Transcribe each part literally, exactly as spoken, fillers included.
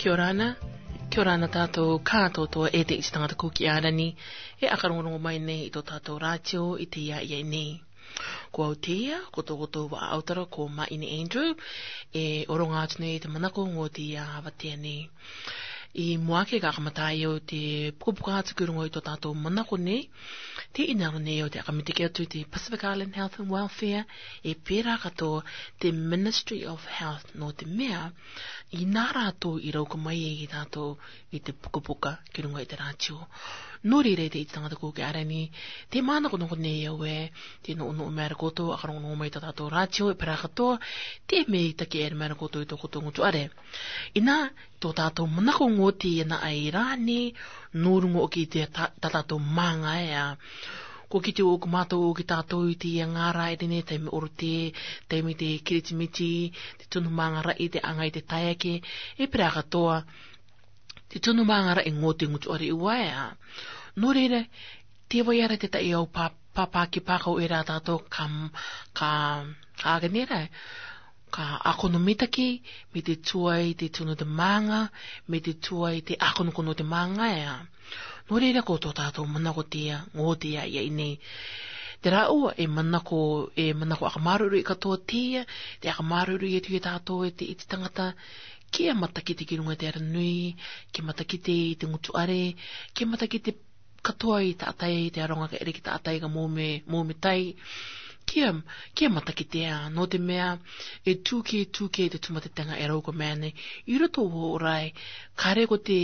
Kia ora na, kia ora na tātou kātoatoa e te iti tangata Kuki Arani, e ʻakarongorongo mai nei i tō tātou rātio i te ia ia nei. Ko au te ia, ko tō koutou vaʻa autara ko Maʻine Andrew, e ʻoronga atu nei te manako ngō te ia avatea nei. I mua ake ka kamata ai au te pukapuka atu ki runga i tō tātou manako nei, te inaro nei au te ʻakamitaki atu te Pacific Island Health and Welfare, e pērā katoa te Ministry of Health nō te mea, i nā rātou i rauka mai e i tātou i te pukapuka ki runga i te rātio. Nō reira e te iti tangata Kuki Arani, te manakonako nei au e, te nō nō mea ra koutou, ʻakarongorongo mai tō tātou rātio, e pērā katoa, te mea i taki e mea ra koutou i tō koutou ngutu ʻare. Inā, tō tātou manako ngō te ia na ai rā nei, nō runga ʻoki te tā, tā tātou mānga e a. Ko kite ʻoku mātau ʻoki tātou i te ia ngā rā e te nei taime ʻorote, taime te Kiritimiti, te tunu mānga raʻi, te anga i te tae ake, e pērā katoa, te tunu mānga raʻi ngō te ngutu ʻare ua e a. Nō reira, te vai ara te taʻi au pā, pāpā ki pākau e rā tātou ka, ka, ka ake nei rā, ka ʻākono mitaki, me te tuai te tunu te mānga, me te tuai te ʻākonokono te mānga e a. Nō reira ko tō tātou manako te ia, ngō te ia ia i nei. Te rāua, e manako, e manako ʻakamāruirui katoa te ia, te ʻakamāruirui e te ia tātou e te iti tangata, kia matakite ki runga te ara nui, kia matakite i te ngutu ʻare, kia matakite katoa i taʻatai, te aronga ka ʻere ki taʻatai ka mōme, mōme tai. Kia, kia matakite a, nō te mea, e tūkē, tūkē te tūmatetenga e rau ko mea nei, i roto o rai, kare ko te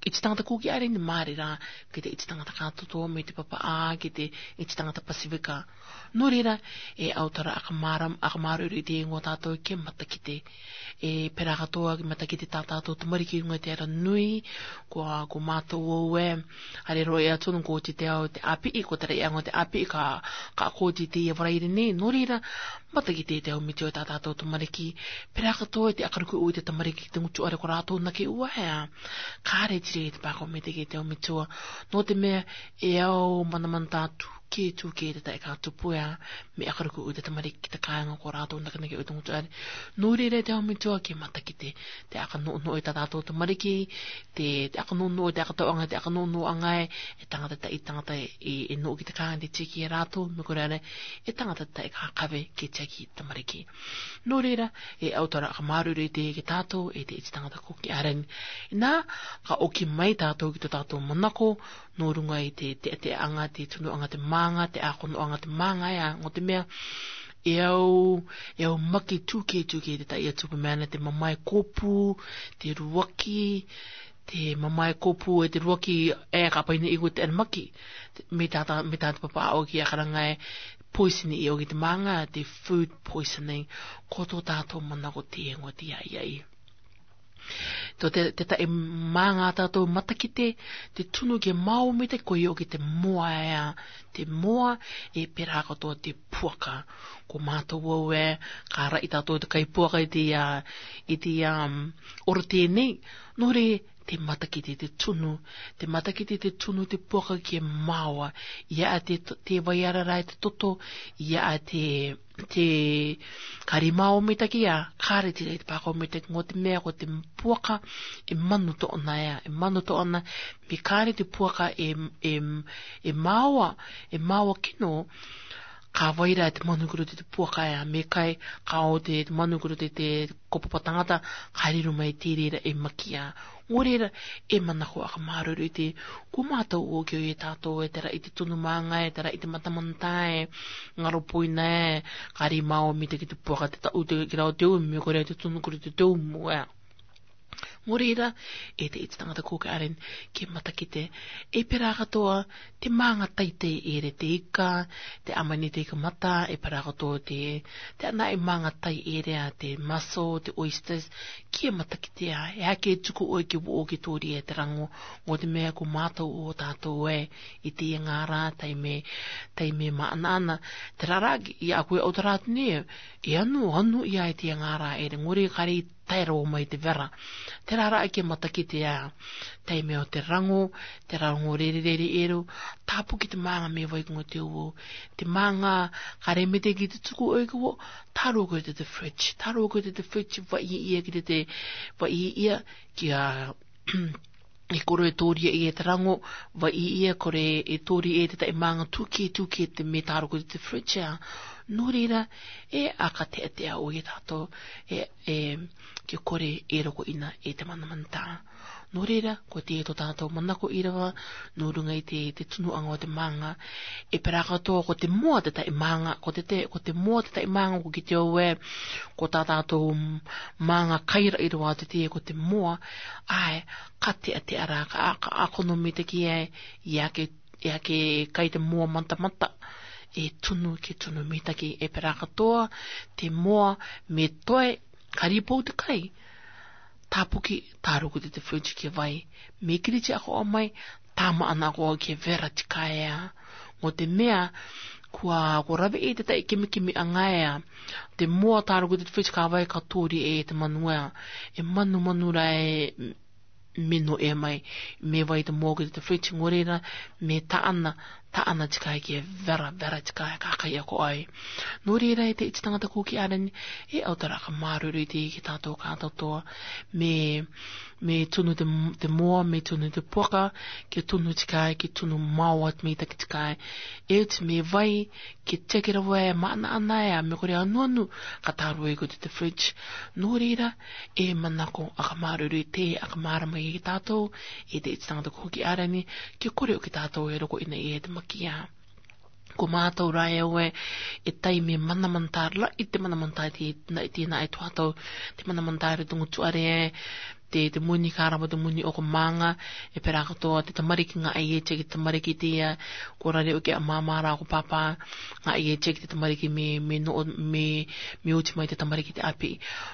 iti tangata Kuki Arani mare rā, ki te iti tangata kātoatoa me te papaʻā, ki te iti tangata Pasifika. Nō reira, e autara ʻakamāra, ʻakamāruirui te ngō tātou kia matakite. E pērā katoa kia matakite tā tātou tamariki runga te ara nui, ko, ko mātou au e, hare roa e atu nō ko te te ao te ʻāpiʻi, ko te raiʻanga o te ʻāpiʻi ka, ka ko te te ia Varaire nei, nō reira, matakite te ao mitua tā tātou tamariki, pērā katoa te ʻakaruku ʻu i te tamariki te ngutu ʻare ko rātou nake ua e a. Kare tire te pākau me te ke te ao mitua, nō te mea, e ao manamana tātou, ke tū ke te taʻe ka tupu e a, me ʻakaruku ʻu te tamariki ki te kāinga ko rātou nakenake ʻu te ngutu ʻare. Nō reira te ao mitua ke matakite, te ʻaka nō nō e tā tātou tamariki, te, te ʻaka nō nō e te ʻaka tauʻanga, te ʻaka nō nō anga e, e tangata taʻi tangata e, e nō ki te kāinga te tiki e rātou, me kore are, e tangata taʻe ka kave ke tiaki tamariki. Nō reira, e autara ʻakamāruirui te ke tātou, e te iti tangata Kuki Arani. Inā, ka ʻoki mai tātou ki tō tātou manako, nō runga i te, te, te anga, te tunuʻanga, te mānga, te ʻākonoʻanga, te mānga e a, nō te mea, e au, e au maki tūkē, tūkē te taʻi atu pa mea na te mamae kōpū, te ruaki, te mamae kōpū e te ruaki e ka paina i ko te ana maki, me tā, tā, me tā te papaʻā ʻoki ʻakaranga e poison i ʻoki te mānga, te food poisoning, ko tō tātou manako te ngō te ia ia i. Tō te, te taʻi mānga tātou matakite, te tunu ke mao me te koi ʻoki te moa e a, te moa e pērā katoa te puaka. Ko mātou au e, ka raʻi tātou te kai puaka i te ia, i te ia, um, ʻorote nei, nō reira, te matakite te tunu, te matakite te tunu te puaka ke maoa, ia a te, te vai ara rā e te toto, ia a te, te, kare mao me taki a, kare te rei te pākau me te ngō te mea ko te puaka, e manu tōna e a, e manu tōna, me kare te puaka e, e, e maoa, e maoa kino, ka vai rā te manu kuro te, te puaka e a, me kai, ka o te, te manu kuro te, te ko papa tangata, ka riro mai te reira e maki a. Nō reira, e manako ʻakamāruirui te, ko mātou ʻoki e tātou e te raʻi te tunu mānga e, te raʻi te matamanatā e, ngaro poina e, kare mao me taki te puaka te taʻu te, ki rau te umu, kore te tunu kuro te, te umu e. Nō reira, e te iti tangata Kuki Arani, ke matakite, e pērā katoa, te mānga taitei ʻere te ika, te ʻamani te ika mata, e pērā katoa te, te ana e mānga tai ʻere a te mussel, te oysters, ke matakite a, e a ke tuku ʻoe ke voʻo ke tōria e te rango, nō te mea ko mātou ʻo tātou e, i te ia ngā rā, taime, taime māʻanaʻana, te rārā, ia a koe ʻautara atu nei, e anu, anu ia e te ia ngā rā ʻere, nō reira kare tae rō mai te vera. Terā rā ake matakite ā, taime o te raŋo, te raŋo rere rere ero, tāpuki te māŋa me vai ko te uo. Te māŋa, ka remete ki te tuku oi ko, tā rō ko te te fridge, tā rō ko te te fridge, vai ia ki te te, vai ia, ki a, e kore e tōria e te raŋo, vai ia kore e tōria e te tae māŋa tūke, tūke te me tā rō ko te te fridge ā. Nō reira, e aka te te au e tātou, e, e, ke kore e roko ina e te manamana tā. Nō reira, ko te to tātou manako ira va, nō runga i te, te tunu anga o te māŋa. E pera katoa ko te moa te tae māŋa, ko te te, ko te moa te tae māŋa ko ki te o e, ko tā tātou māŋa kaira ira va te te ko te moa, ai, ka te a te ara, ka, ka akono me te ki e, ia ke, ia ke kai te moa mata mata, e tunu, ke tunu me te ki e pera katoa, te moa, me toe, ka ripou te kai, tāpuki, tā rō ko te te fridge ke vai, me kiri te ako o mai, tama ana ko ke vera te kai ā. Mo te mea, kua, ko rave e te tae kimi kimi anga ā. Te moa tā rō ko te te fridge ka vai ka tōri e te manu ā. E manu manu rā e, me no e mai, me vai te moa ko te te fridge nō reira, me tā ana, tā ana te kai ke vera, vera te kai ka kai ako ai. Nō reira e te iti tangata ko ki arani, e au tara ka maruru i te ki tātou ka tātou, me, me tunu te, te moa, me tunu te poka, ke tunu te kai, ke tunu mau at me taki te kai. E te me vai, ke te kira vai, mana ana e, me kore anu anu, ka tā rō e ko te te fridge. Nō reira, e manako, aka maruru i te, aka marama i tātou, e te iti tangata ko ki arani, ke kore o ki tātou e roko ina e te makia. Ko mātou rā e oe, e taime manamana tā, la i te manamana tā te, na i te na e tuatau, te manamana tā e tungu tuare e, te, te muni ka rava te muni o ko māŋa, e pera katoa, te tamariki nga e e te, te tamariki te ia, ko rare o ke a māmā rā ko pāpā, nga e e te, te tamariki me, me no, me, me uti mai te tamariki te api.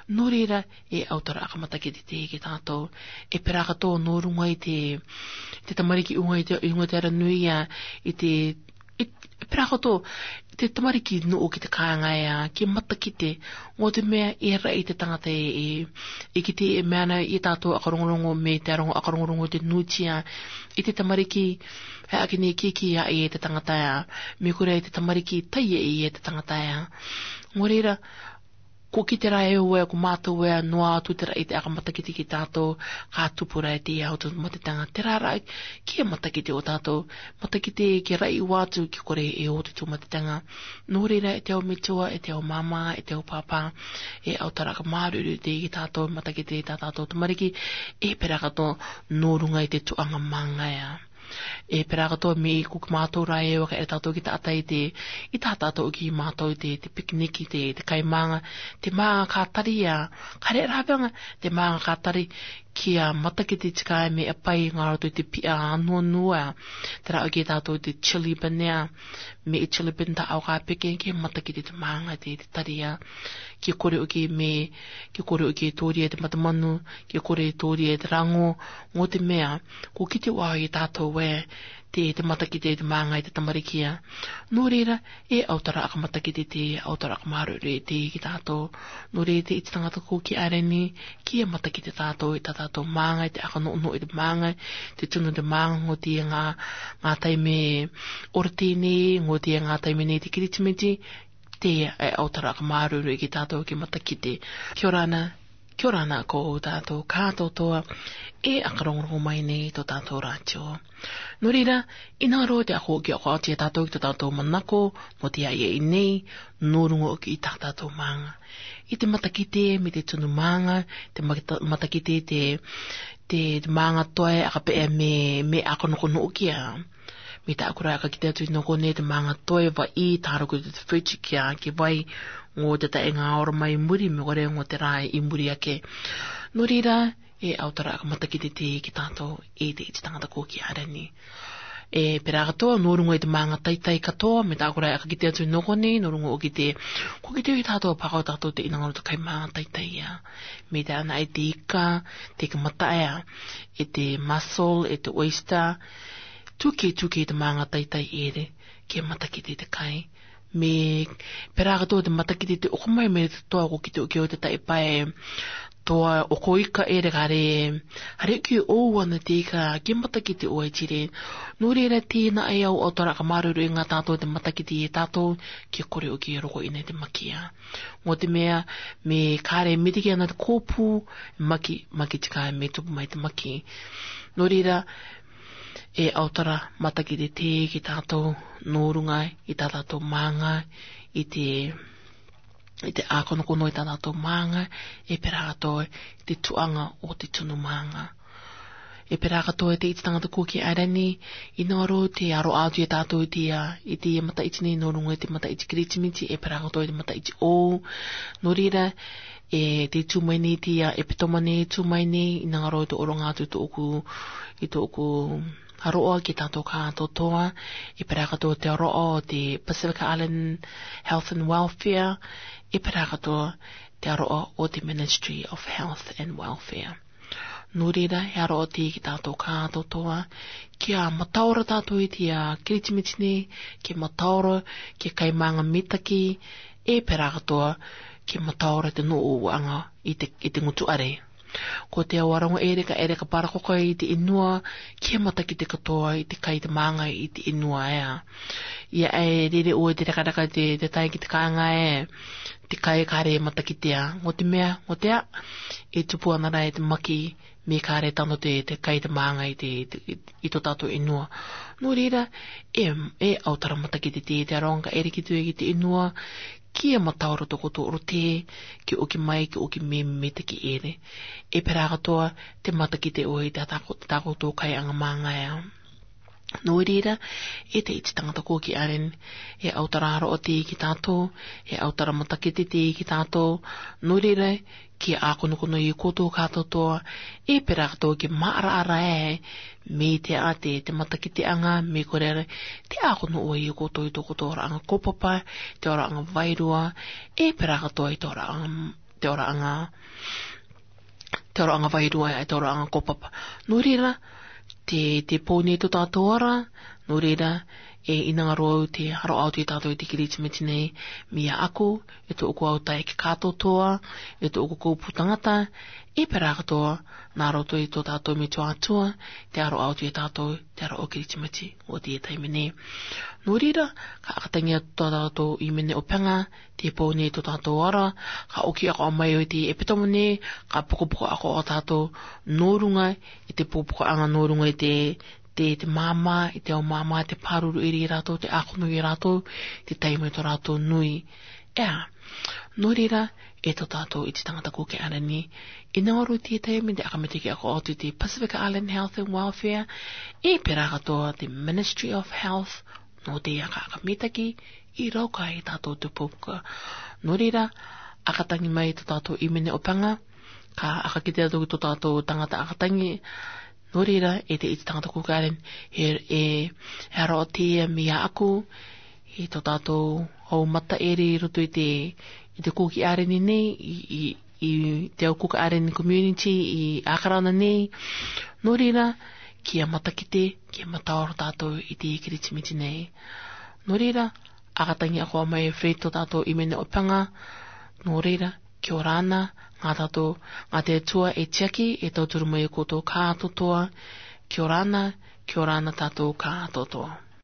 Nō reira, e au tara aka matakite te ki tātou. E pera katoa nō runga i te, te tamariki unga i te, unga te ara nui ā, i te, i, e pera katoa, te tamariki no o ki te kāinga ā, ke matakite, ngō te mea e rai te tangata e, e, e ki te e mea ana i tātou aka rongorongo me te arongo aka rongorongo te nūtia, i te tamariki, e ake ne ki ki a e te tangata ā, me kore i te tamariki tai e i e te tangata ā. Ngō reira, ko ki te rā e oe, ko mātou e, noa atu te rai te aka matakite ki tātou, ka tupu rā e te ia o te mate tanga, te rā rā, ki e matakite o tātou, matakite ke rai ua atu ki kore e o te tū mate tanga. Nō reira e te au metua, e te au māmā, e te au pāpā, e au tara ka maruru te ki tātou, matakite tā tātou tamariki, e pera katoa nō runga i te tuanga mānga ā. E pera katoa me ko ki mātou rā e oe ka e tātou ki tātai te, i tā tātou ki mātou te, te picnic te, te kai mānga, te mānga ka tari ā, ka re rā pēnga, te mānga ka tari, ki a matakite te kai me a pai ngā roto i te pia anu anu ā, te rā o ki tātou te chili bean ā, me i chili bean tā au ka peke ki matakite te mānga te, te tari ā, ki kore o ki me, ki kore o ki tōri e te matamanu, ki kore tōri e te raŋo, ngō te mea, ko ki te wā i tātou e, te, te matakite te mānga i te tamariki ā. Nō reira, e au tara aka matakite te, au tara aka maruru te ki tātou. Nō reira te iti tangata ko ki areni, ki e matakite tātou, i tā tātou mānga, i te aka no no i te mānga, te tunu te mānga, ngō te ngā, ngā taime ora tēnei, ngō te ngā taime nei te kiritimiti, te e au tara aka maruru ki tātou ki matakite. Kia ora ana, kia ora ana ko tātou kātotoa, e aka rongorongo mai nei to tātou rātio. Nō reira, i nā rō te ako ki ako ati e tātou ki to tātou manako, mo te ai e i nei, nō rungo ki tā tātou mānga. I te matakite, me te tunu mānga, te mata-, matakite te, te, te mānga toe, aka pe e me, me ako noko no kia. Me tā kura aka ki te atu i noko nei te mānga toe va i tā roko te fridge kia, ki vai, ngō te tae ngā ora mai muri, me kore ngō te rā i muri ake. Nō reira, e au tara aka matakite te ki tātou, e te iti tangata ko ki areni. E pera katoa, nō rungo i te mānga taitai katoa, me tā kura aka ki te atu i noko nei, nō rungo o ki te, ko ki te i tātou pako tātou te inangaro te kai mānga taitai ā. Me tā ana e te ika, te ka mata ā, e te mussel, e te oyster, tuke, tuke te mānga taitai ere, ke matakite te kai. Me pera katoa te matakite te oko mai me te toa ko ki te uke o te tae pae, Toa o ko ika ere kare, hare ki o wana te ika ke matakite o ai tire. Nō reira tēnā e au ʻautora ka māuruuru i ngā tātou te matakite e tātou, ke kore o ke roko ina te maki ia. Nō te mea, me kare mitiki ana te kōpū, maki, maki tika me tupu mai te maki. Nō reira, e ʻautora matakite te ki tātou, nō runga i tā tātou mānga, i te, i te ʻākonokono i tā tātou mānga, e pērā katoa i te tuʻanga o te tunu mānga. E pērā katoa i te iti tangata kua ki Airani, i ngaro te aro atu i tātou i te ia, i te ia mataiti nei nō runga i te mataiti Kiritimiti, e pērā katoa i te mataiti o, nō reira, e te tū mai nei te ia, e pito mai nei, tū mai nei, i ngaro i te ʻoronga atu i tōʻoku, i tōʻoku aroa ki tātou kātoa, e pērā katoa te aroa o te Pacific Island Health and Welfare, e pērā katoa te aroa o te Ministry of Health and Welfare. Nō reira, he aroa te ki tātou kātoa, kia mataora tātou i te ia Kiritimiti nei, kia mataora, kia kai mānga mitaki, e pērā katoa, kia mataora te nō uanga i te, i te ngutu are. Ko te awaronga ere ka ere ka parakoka i te inua, kia matakite katoa i te kai te mānga i te inua ea. Ia e rere o te rakaraka te, te tai ki te kānga e, te kai kare matakitea. Nō te mea, nō te a, e tupu ana rā e te maki, me kare tano te, te kai te mānga i te, te, i tō tātou inua. Nō reira, e, e ʻautara matakite te, te aronga ka ere ki te, ki te inua, kia mataora tō koutou ʻorote, ke oki mai, ke oki me, me te ki ere. E pērā katoa, te matakite o i tā tāko-, tā koutou kai anga mānga ea. Nō reira, e te iti tangata kua ki Airani, e ʻautara aroa te ki tātou, e ʻautara matakite te ki tātou, nō reira, kia ʻākonokono i koutou kātoa, e pērā katoa kia māʻaraʻara e, me te a te, te matakiteaga, me kore ra, te ʻākono o i koutou i tō koutou oraʻanga kaupapa, te oraʻanga vairua, e pērā katoa i te oraʻanga, te oraʻanga, te oraʻanga vairua, e te oraʻanga kaupapa. Nō reira, te, te pō nei tō tātou ora, nō reira, e i ngaro au te aro atu i tātou i te Kiritimiti nei, mea aku, e tōʻoku autaeaʻe kātoa, e tōʻoku kōpū tangata, e pērā katoa, nā roto i tō tātou metua Atua, te aro atu i tātou, te aro o Kiritimiti, o te taime nei. Nō reira, ka ʻakatangi atu tō tātou ʻīmene ʻopeaga, te pō nei tō tātou ora, ka oki ako mai o te epitome nei, ka pukapuka ako o tātou, nō runga, i te pukapukaʻaga nō runga i te, te, te māmā, i te ao māmā, te pāruru iri i rātou, te ʻākono i rātou, te taime tō rātou nui. Ea, nō reira, e tō tātou iti tangata kua ki Airani, i ngaro te taime te ʻakamitaki ako atu i te Pacific Island Health and Welfare, e pērā katoa te Ministry of Health, nō te aka ʻakamitaki, i rauka i tātou te puka. Nō reira, ʻakatangi mai tō tātou ʻīmene ʻopeaga, ka ʻakakitea atu ki tō tātou tangata ʻakatangi, nō reira, e te iti tangata kua ki Airani, he, e, he aroa te ia mea aku, i tō tātou hau mata ere i roto i te, i te kua ki Airani nei, i, i, i te au kua ki Airani community, i Ākarana nei, nō reira, kia matakite, kia mataora tātou i te Kiritimiti nei. Nō reira, ʻakatangi ako mai e Fred tō tātou ʻīmene ʻopeaga, nō reira, kia ora na, ngā tātou, ngā te Atua e tiaki, e tauturu mai i koutou kātoa, kia ora na, kia ora na tātou kātoa.